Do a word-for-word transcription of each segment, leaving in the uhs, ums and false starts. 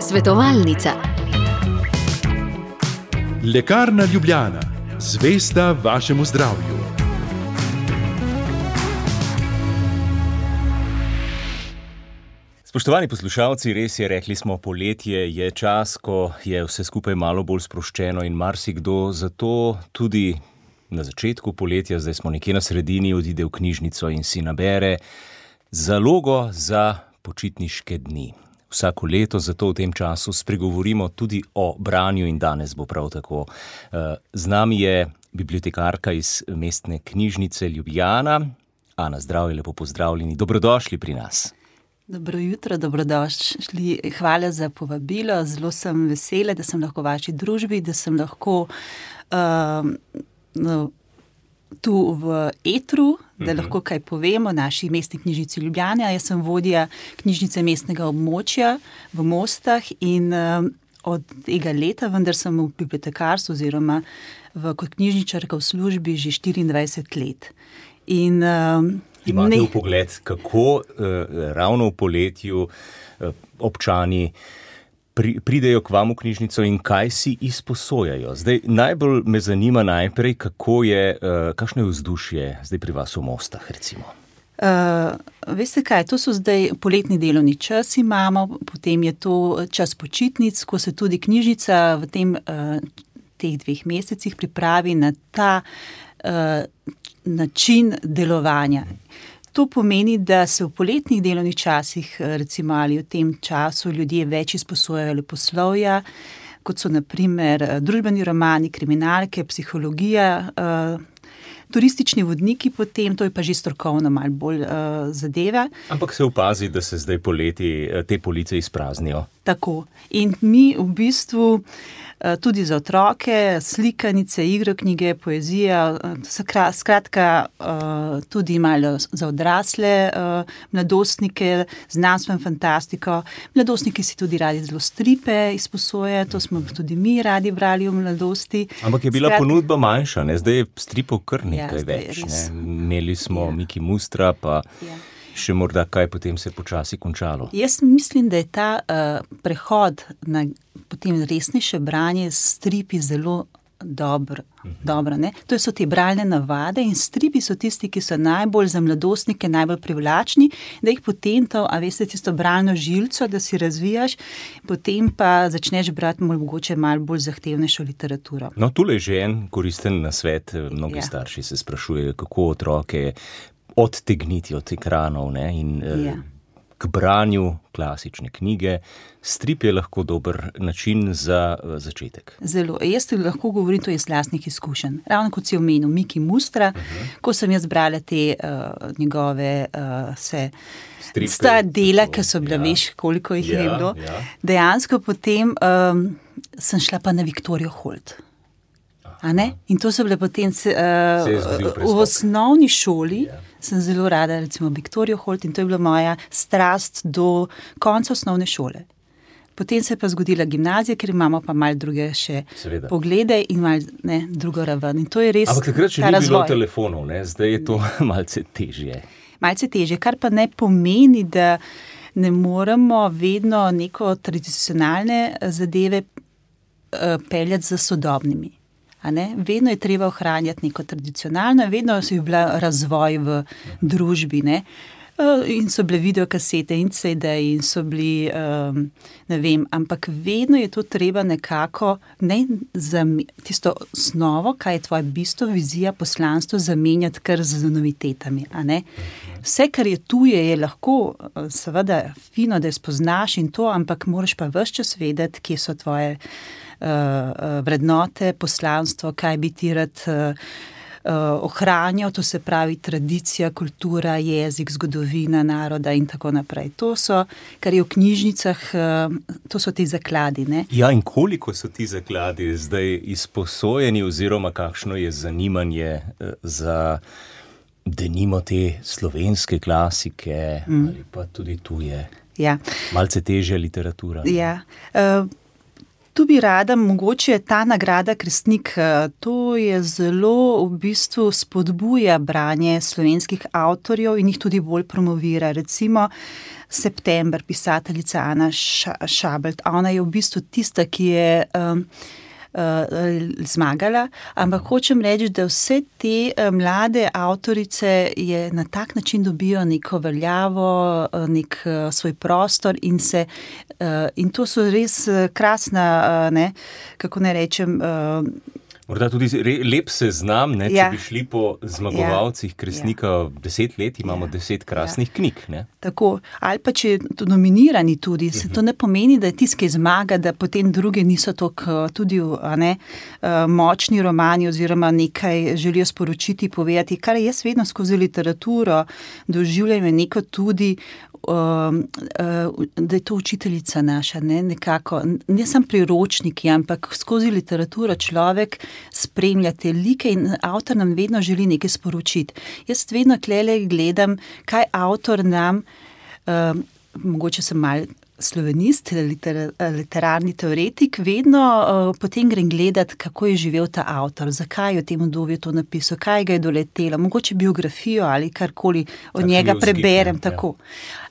Svetovalnica. Lekarna Ljubljana, zvesta vašemu zdravju. Spoštovani poslušalci, res je, rekli smo, poletje je čas, ko je vse skupaj malo bolj sproščeno in marsikdo zato tudi na začetku poletja, zdaj smo nekje na sredini, odide v knjižnico in si nabere zalogo za počitniške dni. Vsako leto zato v tem času spregovorimo tudi o branju in danes bo prav tako. Z nami je bibliotekarka iz Mestne knjižnice Ljubljana. Ana, zdravje, lepo pozdravljeni, dobrodošli pri nas. Dobro jutro, dobrodošli. Hvala za povabilo. Zelo sem vesela, da sem lahko v vaši družbi, da sem lahko uh, no, tu v etru, da lahko kaj povem o naši Mestni knjižnici Ljubljana. Jaz sem vodja knjižnice mestnega območja v Mostah in uh, od tega leta, vendar sem v bibliotekarstvu oziroma v, kot knjižničarka v službi že štiriindvajset let. In uh, Imate v pogled, kako eh, ravno v poletju eh, občani pri, pridejo k vam v knjižnico in kaj si izposojajo? Zdaj, najbolj me zanima najprej, kako je, eh, kakšno je vzdušje zdaj pri vas v Mostah, recimo. Uh, veste kaj, to so zdaj poletni delovni čas imamo, potem je to čas počitnic, ko se tudi knjižnica v tem, uh, teh dveh mesecih pripravi na ta uh, način delovanja. To pomeni, da se v poletnih delovnih časih, recimo ali v tem času, ljudje več izposojajo leposlovja, kot so na primer družbeni romani, kriminalke, psihologija, turistični vodniki potem, to je pa že strokovno malo bolj zadeva. Ampak se opazi, da se zdaj poleti te police izpraznijo. Tako. In mi v bistvu tudi za otroke, slikanice, igroknjige, poezija, skratka tudi malo za odrasle mladostnike, znanstveno fantastiko. Mladostniki si tudi radi zelo stripe izposoje, to smo tudi mi radi brali v mladosti. Ampak je bila skratka ponudba manjša, ne? Zdaj je stripov kar nekaj ja, več. Ne? Imeli smo ja. Miki Mustra, pa ja. še morda kaj potem se počasi končalo. Jaz mislim, da je ta uh, prehod na potem resnejše branje s stripi zelo dobro. Uh-huh. dobro ne? To so te bralne navade in stripi so tisti, ki so najbolj za mladostnike, najbolj privlačni, da jih potem to, a veste, tisto bralno žilco, da si razvijaš, potem pa začneš brati mogoče malo bolj zahtevnejšo literaturo. No, tule je že en koristen nasvet. Mnogi ja. starši se sprašujejo, kako otroke odtegniti od ekranov, ne, in ja. k branju klasične knjige. Strip je lahko dober način za začetek. Zelo. Jaz ti lahko govorim, to je iz lastnih izkušenj. Ravno kot si omenil Miki Mustra, uh-huh. ko sem jaz brala te uh, njegove uh, se Stripe, sta dela, ki so bila, ja. veš, koliko jih ja, je bilo. Ja. Dejansko potem um, sem šla pa na Viktorijo Holt. A ne? In to so bile potem uh, v osnovni šoli, yeah. sem zelo rada recimo Viktorijo Holt in to je bila moja strast do konca osnovne šole. Potem se je pa zgodila gimnazija, ker imamo pa malo druge še Seveda. poglede in malo ne, drugo raven. In to je res ta razvoj. Ampak takrat še ni bilo telefonov, ne? Zdaj je to malce težje. Malce težje, kar pa ne pomeni, da ne moremo vedno neko tradicionalne zadeve uh, peljati za sodobnimi. A ne? Vedno je treba ohranjati neko tradicionalno, vedno je bila razvoj v družbi, ne? In so bile videokasete in C D-ji in so bili, um, ne vem, ampak vedno je to treba nekako, ne, zam, tisto osnovo, kaj je tvoje bistvo, vizija, poslanstvo, zamenjati kar z novitetami, a ne? Vse, kar je tuje, je lahko seveda fino, da je spoznaš in to, ampak moraš pa ves čas vedeti, kje so tvoje Uh, vrednote, poslanstvo, kaj bi ti rad uh, uh, ohranjal, to se pravi tradicija, kultura, jezik, zgodovina naroda in tako naprej. To so, kar je v knjižnicah, uh, to so ti zakladi. Ne? Ja, in koliko so ti zakladi zdaj izposojeni oziroma kakšno je zanimanje uh, za denimo te slovenske klasike mm. ali pa tudi tuje? Ja. Malce težja literatura. Ja. Uh, tu bi rada, mogoče ta nagrada Krstnik, to je zelo v bistvu spodbuja branje slovenskih avtorjev in jih tudi bolj promovira. Recimo September, pisateljica Ana Šabelt, ona je v bistvu tista, ki je um, uh, zmagala, ampak hočem reči, da vse te uh, mlade avtorice je na tak način dobijo neko veljavo, uh, nek uh, svoj prostor in se uh, in to so res uh, krasna, uh, ne, kako ne rečem, uh, morda tudi lep seznam, ne, če ja. bi šli po zmagovalcih Krstnika ja. deset let, imamo ja. deset krasnih ja. knjig. Ne? Tako, ali pa če je nominirani tudi, se to ne pomeni, da je tisti, ki zmaga, da potem druge niso tako tudi a ne, močni romani oziroma nekaj želijo sporočiti, povedati, kar jaz vedno skozi literaturo doživljam je neko tudi, Um, uh, da je to učiteljica naša, ne, nekako, ne samo priročniki, ampak skozi literaturo človek spremlja te like in avtor nam vedno želi nekaj sporočiti. Jaz vedno tlele gledam, kaj avtor nam, um, mogoče sem mal slovenist, liter, literarni teoretik, vedno uh, potem grem gledati, kako je živel ta avtor, zakaj je v tem obdobju to napisal, kaj ga je doletelo, mogoče biografijo ali karkoli od njega preberem, tako.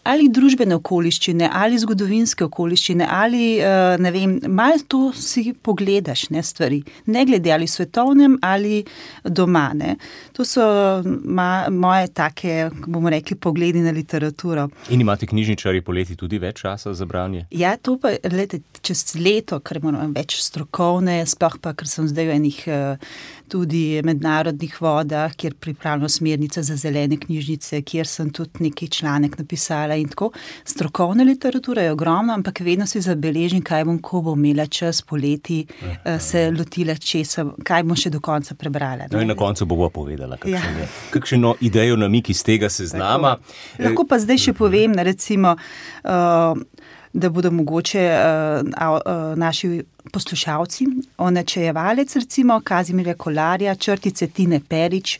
Ali družbene okoliščine, ali zgodovinske okoliščine, ali, ne vem, malo to si pogledaš, ne, stvari. Ne glede ali svetovnem, ali doma, ne. To so ma, moje take, bomo rekli, pogledi na literaturo. In imate knjižničarji poleti tudi več časa za branje? Ja, to pa, lete, čez leto, ker moram več strokovne, sploh pa, ker sem zdaj v enih tudi mednarodnih vodah, kjer pripravljam smernice za zelene knjižnice, kjer sem tudi neki članek napisala in tako. Strokovna literatura je ogromna, ampak vedno si zabeležim, kaj bom, ko bom imela čas poleti, uh, se lotila česa, kaj bom še do konca prebrala. No in na koncu bova povedala, kakšen ja. je. Kakšno idejo namik iz tega seznama. Tako. Lahko pa zdaj še povem, recimo, uh, da bodo mogoče uh, uh, naši poslušalci, Onačejevalec, recimo, Kazimirja Kolarja, Črtice Tine Perič,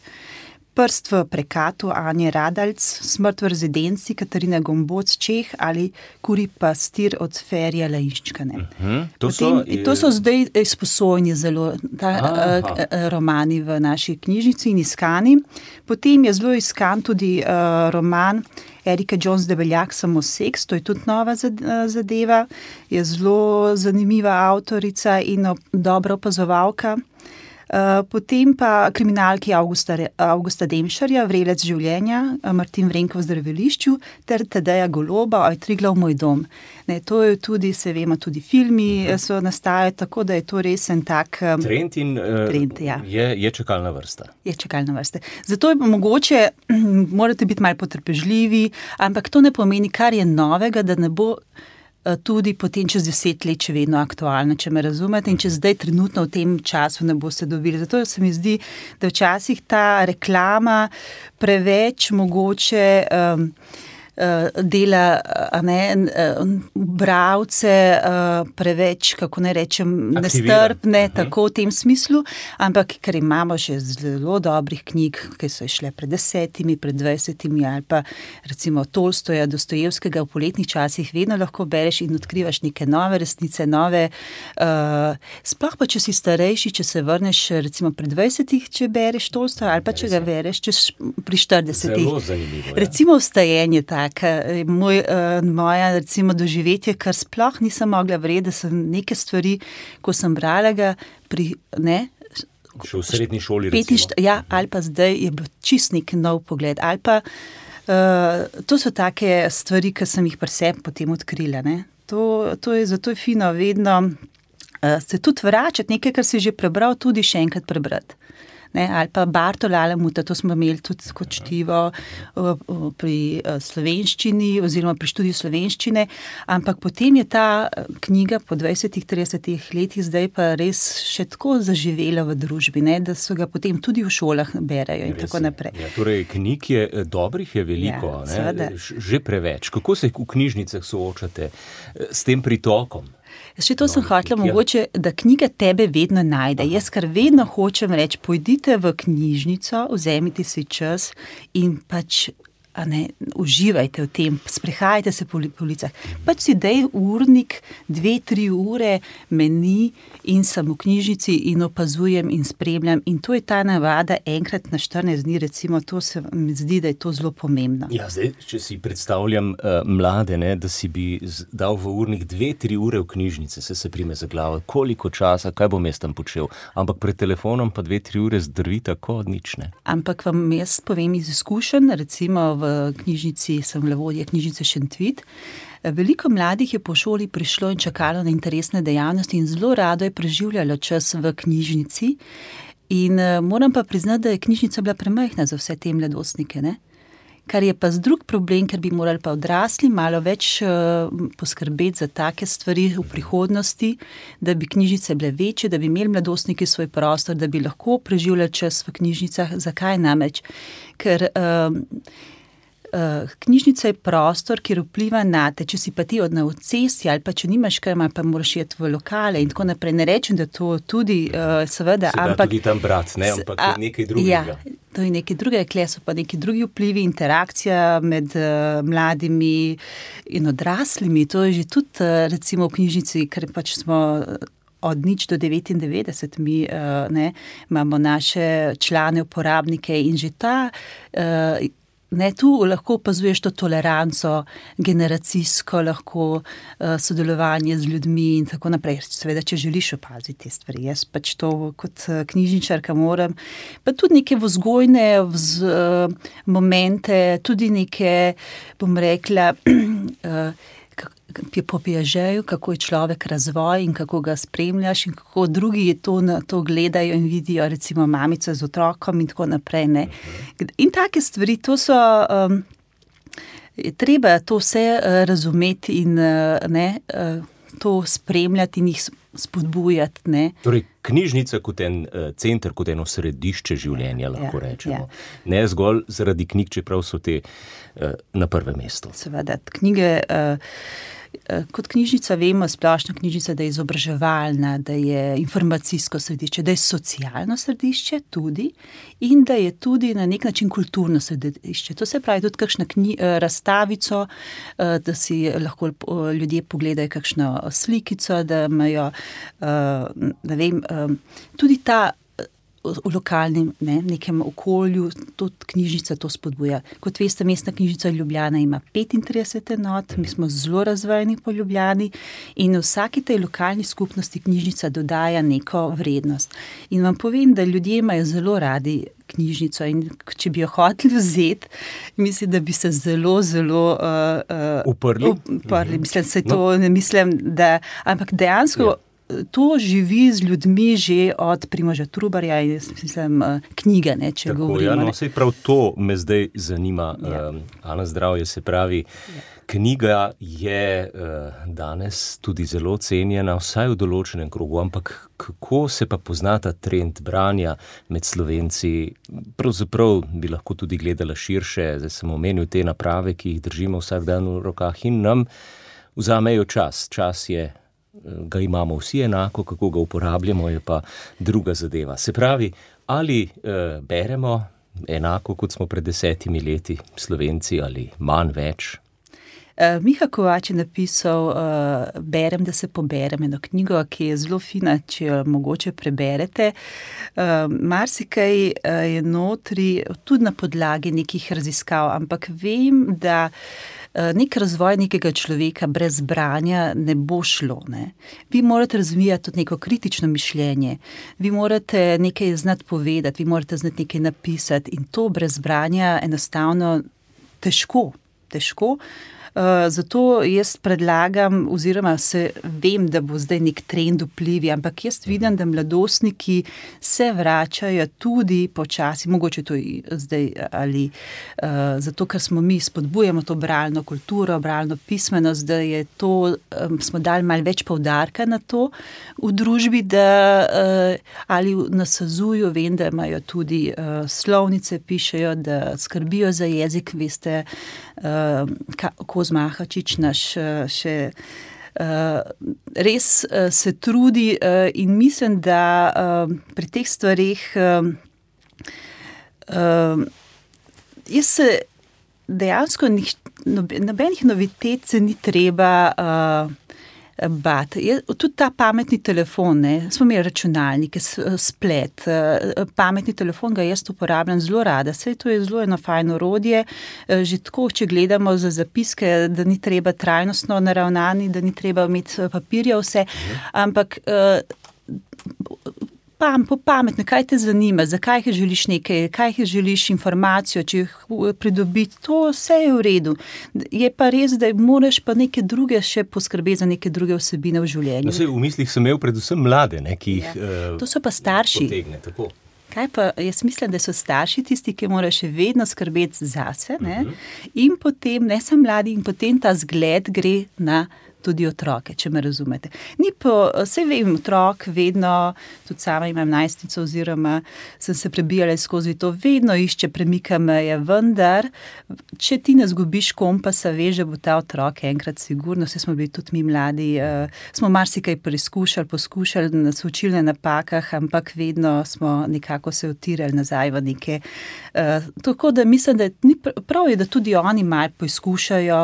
Prst v prekatu Anje Radalc, Smrt v rezidenci Katarina Gomboc Čeh ali Kuri pastir od Ferija Lainščka. Uh-huh. To, Potem, to so zdaj izposojeni zelo ta, uh, romani v naši knjižnici in iskani. Potem je zelo iskan tudi uh, roman Erike Jones Debeljak Samoseks, to je tudi nova zadeva, je zelo zanimiva avtorica in dobra opazovalka. Uh, potem pa kriminalki Augusta, Augusta Demšarja, Vrelec življenja, Martin Vrenko v zdravilišču, ter Tadeja Goloba, Oj Triglav moj dom. Ne, to je tudi, se vemo, tudi filmi uh-huh. so nastajajo, tako da je to res en tak um, trend in uh, trend, ja. je, je čakalna vrsta. Je čakalna vrsta. Zato je mogoče, morate biti malo potrpežljivi, ampak to ne pomeni, kar je novega, da ne bo tudi potem čez deset let še vedno aktualno, če me razumete, in če zdaj trenutno v tem času ne boste dobili. Zato se mi zdi, da včasih ta reklama preveč mogoče um, dela, a ne, bralce preveč, kako ne rečem, nestrpne, uh-huh. tako v tem smislu, ampak ker imamo še zelo dobrih knjig, ki so išle pred desetimi, pred dvajsetimi ali pa recimo Tolstoja, Dostojevskega v poletnih časih, vedno lahko bereš in odkrivaš neke nove resnice, nove, uh, sploh pa, če si starejši, če se vrneš recimo pred dvajsetih, če bereš Tolstoja, ali pa če ga bereš čez, pri štiridesetih. Zelo zanimivo, ja. Recimo Vstajenje tak, Moj, uh, moja recimo doživetje, kar sploh nisem mogla verjeti, da sem neke stvari, ko sem brala ga pri, ne, še v srednji šoli recimo. Ja, ali pa zdaj je bil čist nek nov pogled, ali pa uh, to so take stvari, ki sem jih pri sebi potem odkrila, ne. To, to je, zato je fino vedno uh, se tudi vračati, nekaj, kar si že prebral, tudi še enkrat prebrati. Ne, ali pa Bartola Alamuta, to smo imeli tudi kot čtivo pri slovenščini oziroma pri študiju slovenščine, ampak potem je ta knjiga po dvajsetih, tridesetih letih zdaj pa res še tako zaživela v družbi, ne, da so ga potem tudi v šolah berajo in res tako naprej. Ja, torej, knjig je dobrih je veliko, ja, ne, že preveč. Kako se v knjižnicah soočate s tem pritokom? Še to sem hotela mogoče, da knjiga tebe vedno najde. Aha. Jaz kar vedno hočem reči, pojdite v knjižnico, vzemite si čas in pač, a ne, uživajte v tem, sprehajajte se po ulicah. Pač si dej urnik, dve, tri ure meni in sem v knjižnici in opazujem in spremljam in to je ta navada enkrat na štirinajst dni, recimo, to se mi zdi, da je to zelo pomembno. Ja, zdaj, če si predstavljam uh, mlade, ne, da si bi dal v urnik dve, tri ure v knjižnice, se se prime za glavo, koliko časa, kaj bom jaz tam počel, ampak pred telefonom pa dve, tri ure zdrvi tako nič, ne. Ampak vam jaz povem iz izkušenj, recimo v knjižnici, sem bila vodja knjižnice Šentvid. Veliko mladih je po šoli prišlo in čakalo na interesne dejavnosti in zelo rado je preživljalo čas v knjižnici. In moram pa priznati, da je knjižnica bila premajhna za vse te mladostnike, ne? Kar je pa drug problem, ker bi morali pa odrasli malo več uh, poskrbeti za take stvari v prihodnosti, da bi knjižnice bile večje, da bi imeli mladostniki svoj prostor, da bi lahko preživljali čas v knjižnicah. Zakaj namreč? Ker uh, uh, knjižnica je prostor, kjer vpliva na te, če si pa ti od na cesti ali pa če nimaš kaj, pa moraš iti v lokale in tako naprej. Ne rečem, da to tudi uh, seveda, se ampak... Se da tudi tam brat, ne? Ampak a, je nekaj drugega. Ja. To je nekaj drugega, kle so pa neki drugi vplivi, interakcija med uh, mladimi in odraslimi. To je že tudi uh, recimo v knjižnici, ker pač smo od nič do devetindevetdeset, mi uh, ne, imamo naše člane, uporabnike in že ta... Uh, Ne, tu lahko opazuješ to toleranco, generacijsko lahko uh, sodelovanje z ljudmi in tako naprej. Seveda, če želiš opaziti te stvari. Jaz pač to kot knjižničarka moram. Pa tudi neke vzgojne vz, uh, momente, tudi neke, bom rekla, uh, po Piagetu, kako je človek razvoj in kako ga spremljaš in kako drugi to, to gledajo in vidijo, recimo mamico z otrokom in tako naprej. Ne. In take stvari, to so, um, treba to vse uh, razumeti in uh, ne, uh, to spremljati in jih spodbujati. Ne. Torej, knjižnica kot en uh, center, kot eno središče življenja, lahko ja, rečemo. Ja. Ne zgolj zaradi knjig, čeprav so te uh, na prvem mestu. Seveda, knjige... Uh, Kot knjižnica vemo, splošna knjižnica, da je izobraževalna, da je informacijsko središče, da je socialno središče tudi in da je tudi na nek način kulturno središče. To se pravi tudi kakšna knji, razstavico, da si lahko ljudje pogledajo kakšno slikico, da imajo, ne vem, tudi ta v lokalnem, ne, nekem okolju, tudi knjižnica to spodbuja. Kot veste, mestna knjižnica Ljubljana ima petintrideset enot, mi smo zelo razvojeni po Ljubljani in vsaki tej lokalni skupnosti knjižnica dodaja neko vrednost. In vam povem, da ljudje imajo zelo radi knjižnico in če bi jo hoteli vzeti, mislim, da bi se zelo, zelo uh, uh, uprli. uprli. Mislim, se to no. ne mislim, da, ampak dejansko ja. To živi z ljudmi že od Primoža Trubarja in mislim, knjige, ne, če Tako, govorimo. Ja, no, sej prav to me zdaj zanima. Ja. Um, Ana, zdravje, se pravi, ja. Knjiga je uh, danes tudi zelo cenjena, vsaj v določenem krogu, ampak kako se pa pozna ta trend branja med Slovenci? Pravzaprav bi lahko tudi gledala širše, zdaj sem omenil te naprave, ki jih držimo vsak dan v rokah in nam vzamejo čas. Čas je ga imamo vsi enako, kako ga uporabljamo, je pa druga zadeva. Se pravi, ali e, beremo enako, kot smo pred desetimi leti Slovenci, ali manj več? Uh, Miha Kovač je napisal uh, Berem, da se poberem, eno knjigo, ki je zelo fina, če jo mogoče preberete. Uh, marsikaj uh, je notri, tudi na podlagi nekih raziskav, ampak vem, da nek razvoj nekega človeka brez branja ne bo šlo. Ne? Vi morate razvijati tudi neko kritično mišljenje, vi morate nekaj znati povedati, vi morate znati nekaj napisati in to brez branja enostavno težko, težko. Uh, zato jaz predlagam, oziroma se vem, da bo zdaj nek trend vplivi, ampak jaz vidim, da mladostniki se vračajo tudi počasi, mogoče to zdaj ali uh, zato, ker smo mi spodbujamo to bralno kulturo, bralno pismenost, da je to, um, smo dali malo več poudarka na to v družbi, da uh, ali na Sazuju vem, da imajo tudi uh, slovnice, pišejo, da skrbijo za jezik, veste, uh, ka, Kozmahačič naš še uh, res uh, se trudi uh, in mislim, da uh, pri teh stvarih uh, uh, jaz se dejansko nobenih novitet se ni treba uh, bati. Je, tudi ta pametni telefon, ne, smo imeli računalnike, splet, uh, pametni telefon ga jaz uporabljam zelo rada. Saj to je zelo eno fajno orodje. Uh, že tako, če gledamo za zapiske, da ni treba trajnostno naravnani, da ni treba imeti papirja vse, ampak uh, Pam, po pametno, kaj te zanima, zakaj želiš nekaj, kaj želiš informacijo, če jih pridobiti, to vse je v redu. Je pa res, da moraš pa neke druge še poskrbeti za neke druge vsebine v življenju. No, sej, v mislih sem imel predvsem mlade, ne, ki jih ja. uh, to so pa starši. Potegne, tako. Kaj pa, jaz mislim, da so starši tisti, ki morajo še vedno skrbeti zase, ne, uh-huh. in potem, ne samo mladi, in potem ta zgled gre na tudi otroke, če me razumete. Ni po, saj vem, otrok vedno, tudi sama imam najstnico oziroma sem se prebijala skozi to, vedno išče, premika meje, vendar, če ti ne zgubiš kompasa, veš, da bo ta otrok enkrat sigurno, vse smo bili tudi mi mladi, uh, smo marsikaj preizkušali, poskušali, nas učili na napakah, ampak vedno smo nekako se utirali nazaj v neke. Uh, tako da mislim, da ni prav je, da tudi oni malo poizkušajo,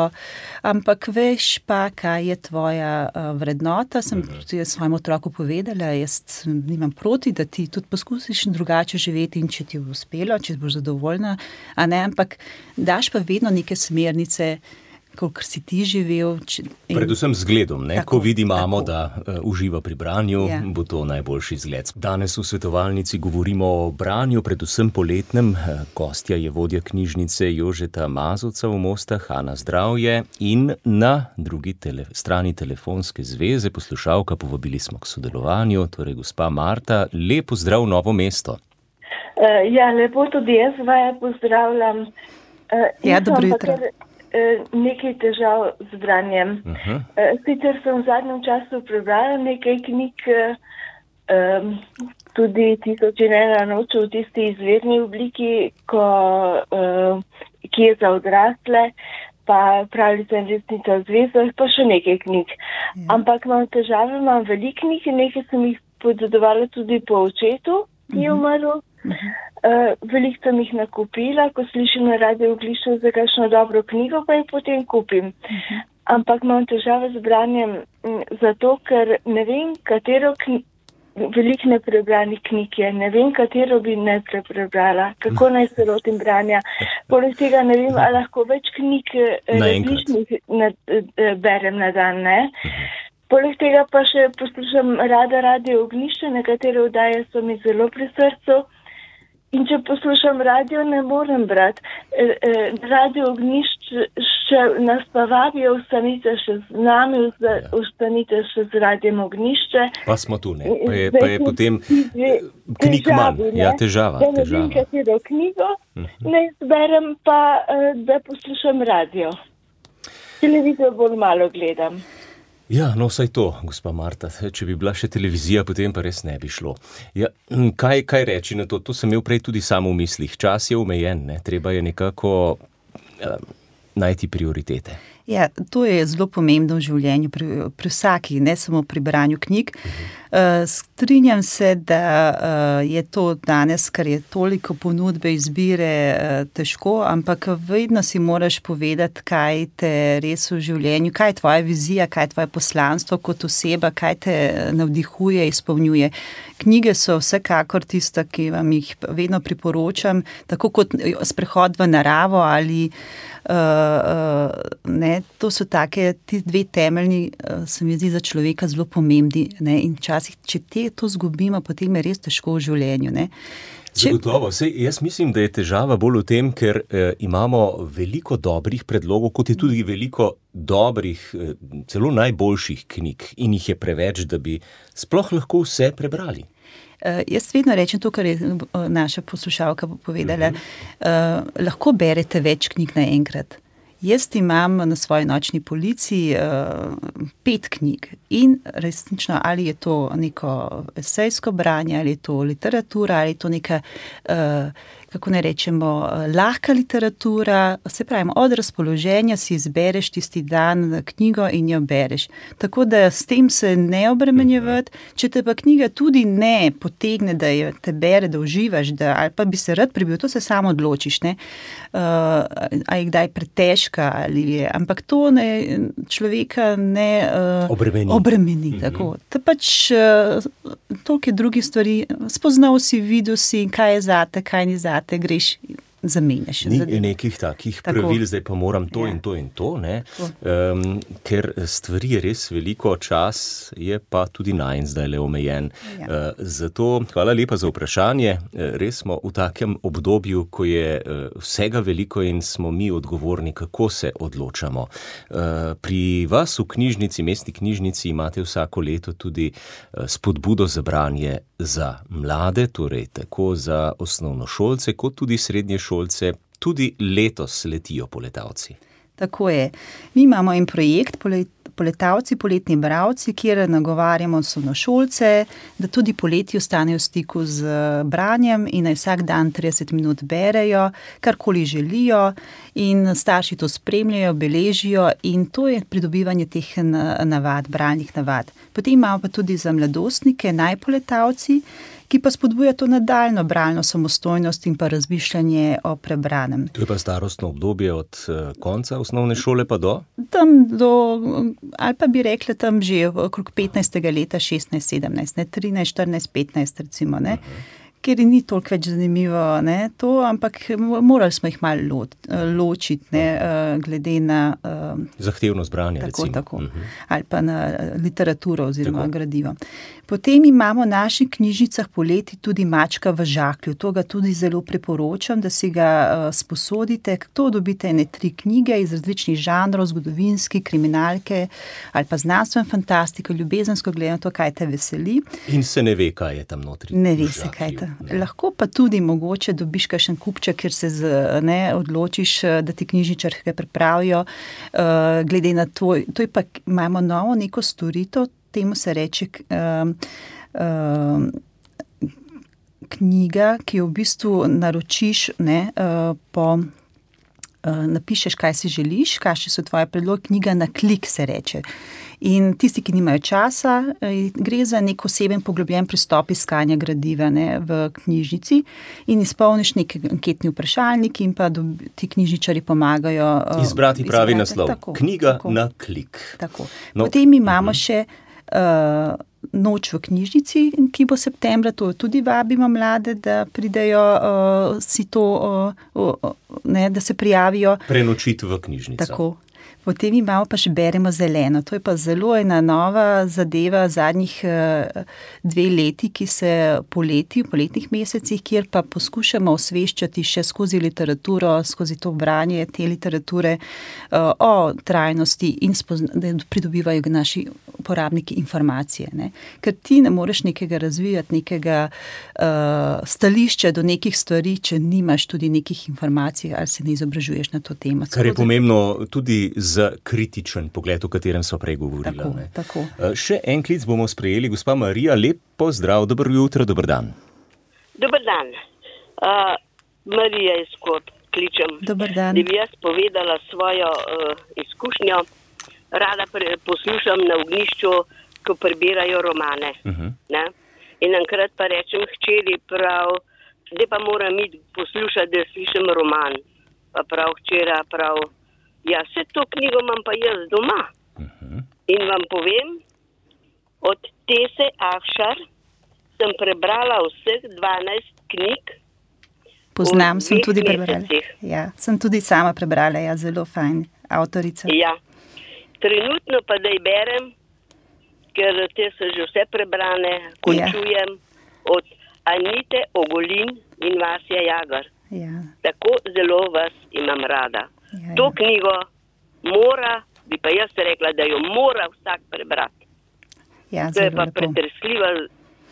ampak veš pa, kaj je tvoja uh, vrednota. Sem tudi svojemu otroku povedala, jaz nimam proti, da ti tudi poskusiš drugače živeti in če ti bo uspelo, če boš zadovoljna, a ne, ampak daš pa vedno neke smernice, kolikor si ti živel. Če, in... Predvsem zgledom, ne? Tako, ko vidi mamo, tako. Da uh, uživa pri branju, ja. Bo to najboljši zgled. Danes v svetovalnici govorimo o branju, predvsem poletnem. Gostja je vodja knjižnice Jožeta Mazovca v Mostah, Ana Zdravje, in na drugi tele, strani telefonske zveze poslušalka, povabili smo k sodelovanju, torej gospa Marta. Lep pozdrav v Novo mesto. Uh, ja, lepo tudi jaz vaja pozdravljam. Uh, ja, dobro jutro. Nekaj težav z branjem. Uh-huh. Sicer sem v zadnjem času prebrala nekaj knjig, um, tudi Tisoč in ena noč v tisti izvirni obliki, ko, um, ki je za odrasle, pa Pravljica in resnica v zvezdah, pa še nekaj knjig. Uh-huh. Ampak imam težave, imam veliko knjig in nekaj sem jih podzadovala tudi po očetu, ki je umrl. Uh-huh. Uh, veliko sem jih nakupila, ko slišim na Radio Oglišču za kakšno dobro knjigo, pa jih potem kupim. Uh-huh. Ampak imam težave z branjem m, zato, ker ne vem, katero knjigo, veliko neprebranih knjig je, ne vem, katero bi najprej prebrala, kako naj se lotim branja. Poleg tega ne vem, ali lahko več knjig različnih na, berem na dan, ne? Poleg tega pa še poslušam rada Radio Oglišče, nekatere oddaje so mi zelo pri srcu. In če poslušam radio, ne morem brati. Radio Ognjišče nas pa vabijo, vstanite še z nami, vstanite še z Radiem Ognjišče. Pa smo tu, ne? Pa je, pa je potem knjig manj. Ja, težava. Da ne vem, katero knjigo, ne izberem pa, da poslušam radio. Televizijo bolj malo gledam. Ja, no vsaj to, gospa Marta, če bi bila še televizija, potem pa res ne bi šlo. Ja, kaj, kaj reči na to? To sem imel prej tudi samo v mislih. Čas je omejen, ne? Treba je nekako eh, najti prioritete. Ja, to je zelo pomembno v življenju, pri, pri vsaki, ne samo pri branju knjig. Uh, strinjam se, da uh, je to danes, ker je toliko ponudbe, izbire, uh, težko, ampak vedno si moraš povedati, kaj te res v življenju, kaj je tvoja vizija, kaj je tvoje poslanstvo kot oseba, kaj te navdihuje, izpolnjuje. Knjige so vsekakor tista, ki vam jih vedno priporočam, tako kot sprehod v naravo ali uh, uh, ne, to so take, ti dve temeljni, uh, se mi zdi za človeka zelo pomembni, ne, in včasih, če te to zgubimo, potem je res težko v življenju, ne. Če... Zagotovo, sej jaz mislim, da je težava bolj v tem, ker eh, imamo veliko dobrih predlogov, kot je tudi veliko dobrih, eh, celo najboljših knjig in jih je preveč, da bi sploh lahko vse prebrali. Uh, jaz vedno rečem to, kar je naša poslušalka povedala, uh, lahko berete več knjig naenkrat. Jaz imam na svoji nočni polici uh, pet knjig in resnično, ali je to neko esejsko branje, ali je to literatura, ali je to neka, uh, kako ne rečemo, lahka literatura, se pravi, od razpoloženja si izbereš tisti dan knjigo in jo bereš. Tako da s tem se ne obremenjevati, če te pa knjiga tudi ne potegne, da jo te bere, da uživaš, da, ali pa bi se rad prebil, to se samo odločiš, ne, uh, a je kdaj pretežka ali je, ampak to ne, človeka ne uh, obremeni. obremeni mm-hmm. tako. To pač uh, toliko je drugih stvari, spoznal si, videl si, kaj je zate, kaj ni zate, greš, zamenjaš. Ni nekih takih tako. Pravil, zdaj pa moram to ja. in to in to, ne? Um, ker stvari je res veliko, čas je pa tudi najn zdaj le omejen. Ja. Uh, zato hvala lepa za vprašanje. Uh, res smo v takem obdobju, ko je uh, vsega veliko in smo mi odgovorni, kako se odločamo. Uh, pri vas v knjižnici, mestni knjižnici, imate vsako leto tudi uh, spodbudo za branje za mlade, torej tako za osnovnošolce, kot tudi srednješolce, tudi letos letijo poletavci. Tako je. Mi imamo en projekt Poletavci, poletni bralci, kjer nagovarjamo osnovnošolce, da tudi poleti ostanejo v stiku z branjem in naj vsak dan trideset minut berejo, karkoli želijo in starši to spremljajo, beležijo in to je pridobivanje teh navad, bralnih navad. Potem imamo pa tudi za mladostnike najpoletavci, ki pa spodbuja to nadaljno bralno samostojnost in pa razmišljanje o prebranem. To je pa starostno obdobje od konca osnovne šole pa do? Tam do, ali pa bi rekla tam že okrog petnajstega leta, šestnajst, sedemnajst, ne, trinajst, štirinajst, petnajst recimo, ne. Uh-huh. Ker ni toliko več zanimivo, ne, to, ampak morali smo jih malo lo, ločiti, ne, glede na... zahtevnost branja, tako, recimo. Tako, uh-huh. Ali pa na literaturo oziroma tako. Gradivo. Potem imamo v naših knjižnicah poleti tudi Mačka v žaklju. To ga tudi zelo priporočam, da si ga uh, sposodite. To dobite ene tri knjige iz različnih žanrov, zgodovinski, kriminalke ali pa znanstveno fantastiko, ljubezensko gledano, to, kaj te veseli. In se ne ve, kaj je tam notri. Ne ve se, kaj je. Ne. Lahko pa tudi mogoče dobiš kakšen kupček, kjer se z, ne, odločiš, da ti knjižničarke pripravijo. Uh, glede na to, to je pa, imamo novo neko storitev, temu se reče uh, uh, knjiga, ki jo v bistvu naročiš, ne, uh, po, uh, napišeš, kaj si želiš, kakšni so tvoje predloge, knjiga na klik se reče. In tisti, ki nimajo časa, gre za nek oseben poglobljen pristop iskanja gradiva, ne, v knjižnici in izpolniš neki anketni vprašalnik in pa dobi, ti knjižničari pomagajo izbrati uh, pravi izbrati. naslov. Tako, knjiga tako, na klik. Tako. No. Potem imamo uh-huh. še uh, noč v knjižnici, ki bo septembra, to tudi vabimo mlade, da pridejo uh, si to, uh, uh, ne, da se prijavijo. Prenočiti v knjižnico. Tako. Potem imamo pa še Beremo zeleno. To je pa zelo ena nova zadeva zadnjih uh, dve leti, ki se poleti, v poletnih mesecih, kjer pa poskušamo osveščati še skozi literaturo, skozi to branje te literature uh, o trajnosti in spozna, da pridobivajo naši uporabniki informacije. Ne? Ker ti ne moreš nekega razvijati, nekega uh, stališča do nekih stvari, če nimaš tudi nekih informacij ali se ne izobražuješ na to temo. Kar je pomembno tudi za kritičen pogled, o katerem so prej govorila. Tako, ne. tako. Še en klic bomo sprejeli. Gospa Marija, lep pozdrav, dobro jutro, dober dan. Dober dan. Uh, Marija iz Skot kličem. Dober dan. Da bi jaz povedala svojo uh, izkušnjo. Rada pre, poslušam na ognjišču, ko prebirajo romane. Uh-huh. Ne? In enkrat pa rečem hčeri prav, zdaj pa moram iti poslušati, da slišim roman. Pa prav hčera, prav ja, vse to knjigo imam pa jaz doma. Uh-huh. In vam povem, od Tese Afšar sem prebrala vseh dvanajst knjig. Poznam, sem tudi prebrala. Ja, sem tudi sama prebrala, ja, zelo fajn avtorica. Ja, trenutno pa da berem, ker te so že vse prebrane, končujem ja. Od Anite Ogulin in Vasja Jagar. Ja. Tako zelo vas imam rada. Ja, to ja. knjigo mora, bi pa jaz rekla, da jo mora vsak prebrati. Ja, to je pa pretresljiva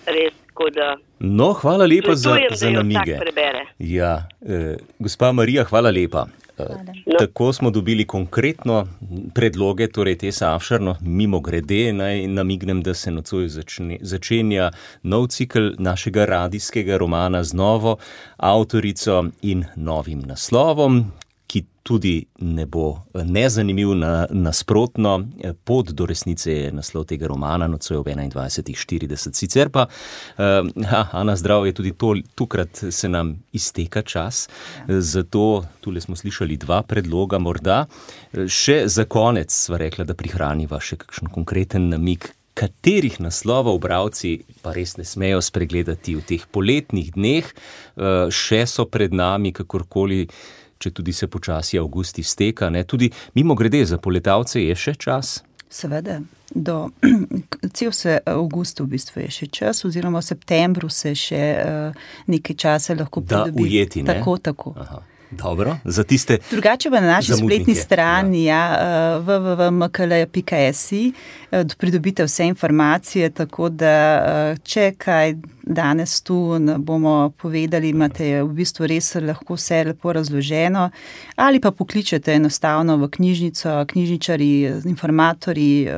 res, ko da... No, hvala lepa za, za da namige. Jo vsak prebere. Ja, eh, gospa Marija, hvala lepa. No. Tako smo dobili konkretno predloge, torej te Savšarno, mimo grede, naj namignem, da se nocoj začne, začenja nov cikl našega radijskega romana z novo avtorico in novim naslovom, ki tudi ne bo nezanimiv, na, nasprotno. Pot do resnice je naslov tega romana, nocoj ob enaindvajsetih štirideset. Sicer pa, uh, Ana, zdrav je tudi to, tukrat se nam izteka čas, ja. Zato tule smo slišali dva predloga, morda. Še za konec sva rekla, da prihraniva še kakšen konkreten namig, katerih naslovov bralci pa res ne smejo spregledati v teh poletnih dneh, uh, še so pred nami, kakorkoli, če tudi se počasi avgust izteka, ne? Tudi mimo grede za poletavce je še čas? Seveda, do cel se avgust v bistvu je še čas, oziroma v septembru se še uh, nekaj časa lahko pridobi. Da ujeti, ne? Tako, tako. Aha. Dobro, za tiste drugače pa na naši zamudnike. Spletni strani, ja, ja w w w pika m k l pika s i, pridobite vse informacije, tako da če kaj danes tu bomo povedali, imate v bistvu res lahko vse lepo razloženo, ali pa pokličete enostavno v knjižnico, knjižničari, informatorji,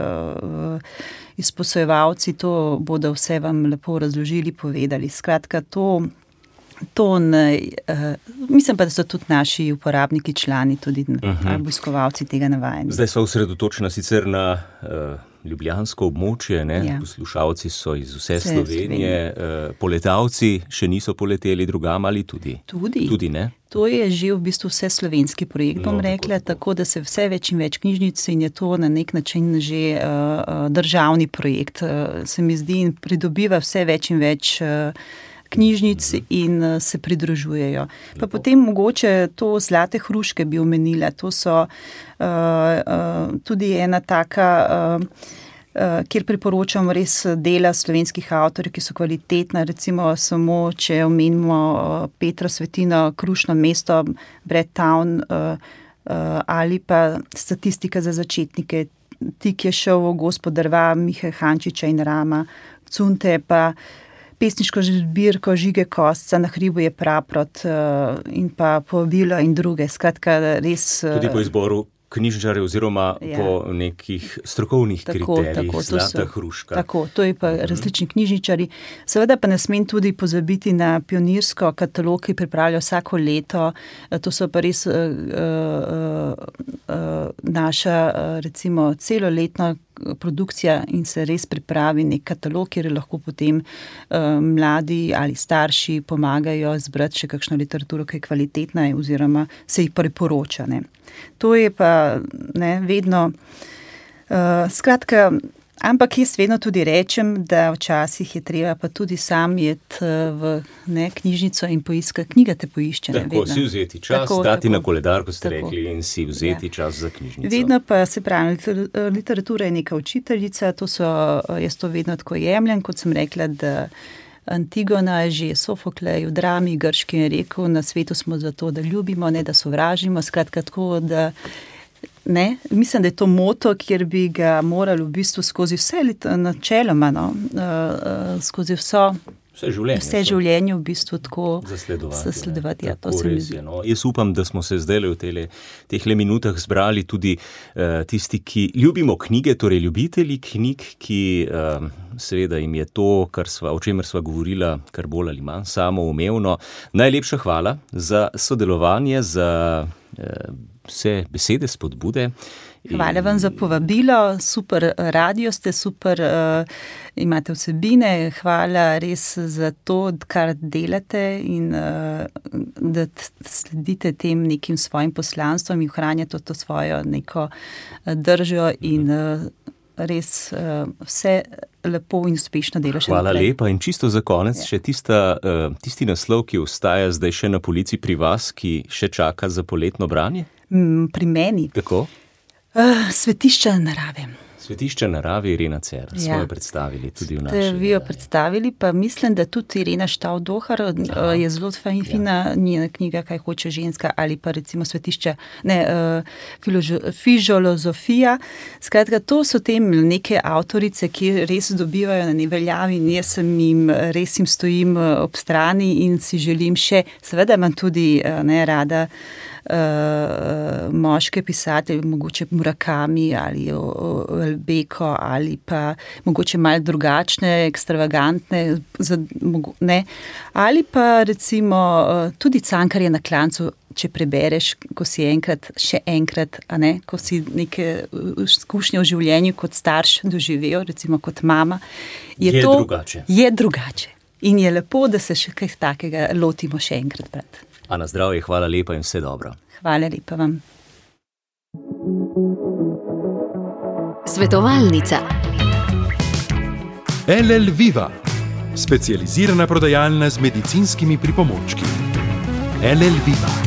izposojevalci, to bodo vse vam lepo razložili, povedali. Skratka, to To ne, uh, mislim pa, da so tudi naši uporabniki, člani, tudi uh-huh. obiskovalci tega navajeni. Zdaj so osredotočena sicer na uh, ljubljansko območje, ne? Ja. Poslušalci so iz vse, vse Slovenije, Slovenije. Uh, poletavci še niso poleteli drugam ali tudi? Tudi. Tudi, ne? To je že v bistvu vse slovenski projekt, bom no, rekla, tako, tako. tako da se vse več in več knjižnic in je to na nek način že uh, državni projekt. Uh, se mi zdi in pridobiva vse več in več uh, knjižnic in se pridružujejo. Pa potem mogoče to Zlate hruške bi omenila. To so uh, uh, tudi ena taka, uh, uh, kjer priporočam res dela slovenskih avtorjev, ki so kvalitetna. Recimo samo, če omenimo uh, Petra Svetino, Krušno mesto, Bread Town uh, uh, ali pa Statistika za začetnike, Tik je šel v Gospodarva, Mihe Hančiča in Rama, Cunte pa pesniško zbirko Žige Kosca, Na hribu je praprot uh, in pa Povabilo in druge. Skratka, res... Uh, tudi po izboru knjižničarjev oziroma ja. po nekih strokovnih tako, kriterijih, tako, Zlata so, hruška. Tako, to je pa različni knjižničari. Seveda pa ne smem tudi pozabiti na pionirsko katalog, ki pripravlja vsako leto. To so pa res uh, uh, uh, naša uh, recimo celoletna produkcija in se res pripravi nek katalog, kjer lahko potem uh, mladi ali starši pomagajo zbrati še kakšno literaturo, ki je kvalitetna oziroma se jih priporoča. Ne. To je pa ne, vedno, uh, skratka, ampak jaz vedno tudi rečem, da včasih je treba pa tudi sam jet v ne, knjižnico in poiskati, knjiga te poišče. Ne, tako, vedno. Si vzeti čas, tako, dati tako, na koledar, ko ste tako, rekli, in si vzeti ja. čas za knjižnico. Vedno pa se pravi, literatura je neka učiteljica, to so, jaz to vedno tako jemljem, kot sem rekla, da Antigona je že Sofoklej v drami grški je rekel, na svetu smo zato, da ljubimo, ne da sovražimo, skratka tako, da ne, mislim, da je to moto, kjer bi ga morali v bistvu skozi vse načeloma, no, uh, skozi vso Vse življenje, vse življenje v bistvu tako zasledovati. zasledovati ja, tako to se mi zdi. No. Jaz upam, da smo se zdaj v tele, tehle minutah zbrali tudi uh, tisti, ki ljubimo knjige, torej ljubitelji knjig, ki uh, seveda jim je to, kar sva, o čemer sva govorila, kar bolj ali manj samoumevno. Najlepša hvala za sodelovanje, za uh, vse besede, spodbude. Hvala vam za povabilo, super radio ste, super uh, imate vsebine, hvala res za to, kar delate in uh, da sledite tem nekim svojim poslanstvom in ohranjate to svojo neko držo in uh, res uh, vse lepo in uspešno delo še Hvala naprej. lepa in čisto za konec ja. še tista, uh, tisti naslov, ki ostaja zdaj še na polici pri vas, ki še čaka za poletno branje? Mm, pri meni? Tako? Uh, svetišča narave. Svetišča narave Irena Cer, ja. smo jo predstavili tudi v naši. Ste vi jo predstavili, pa mislim, da tudi Irena Štavdohar uh, je zelo fina ja. njena knjiga, Kaj hoče ženska, ali pa recimo svetišča, ne, uh, Fižolozofija. Skratka, to so te neke avtorice, ki res dobivajo na neveljavi in jaz sem jim, res jim stojim ob strani in si želim še, seveda imam tudi uh, ne, rada uh, moške pisatelje, mogoče Murakami ali Beko ali pa mogoče malo drugačne, ekstravagantne, ne, ali pa recimo uh, tudi Cankarja na klancu, če prebereš, ko si enkrat, še enkrat, a ne, ko si neke izkušnje v življenju kot starš doživel, recimo kot mama, je, je to drugače. Je drugače. In je lepo, da se še kaj takega lotimo še enkrat brati. A na zdravje, hvala lepa in vse dobro. Hvala lepa vam. Svetovalnica. L L Viva, specializirana prodajalna z medicinskimi pripomočki. L L Viva.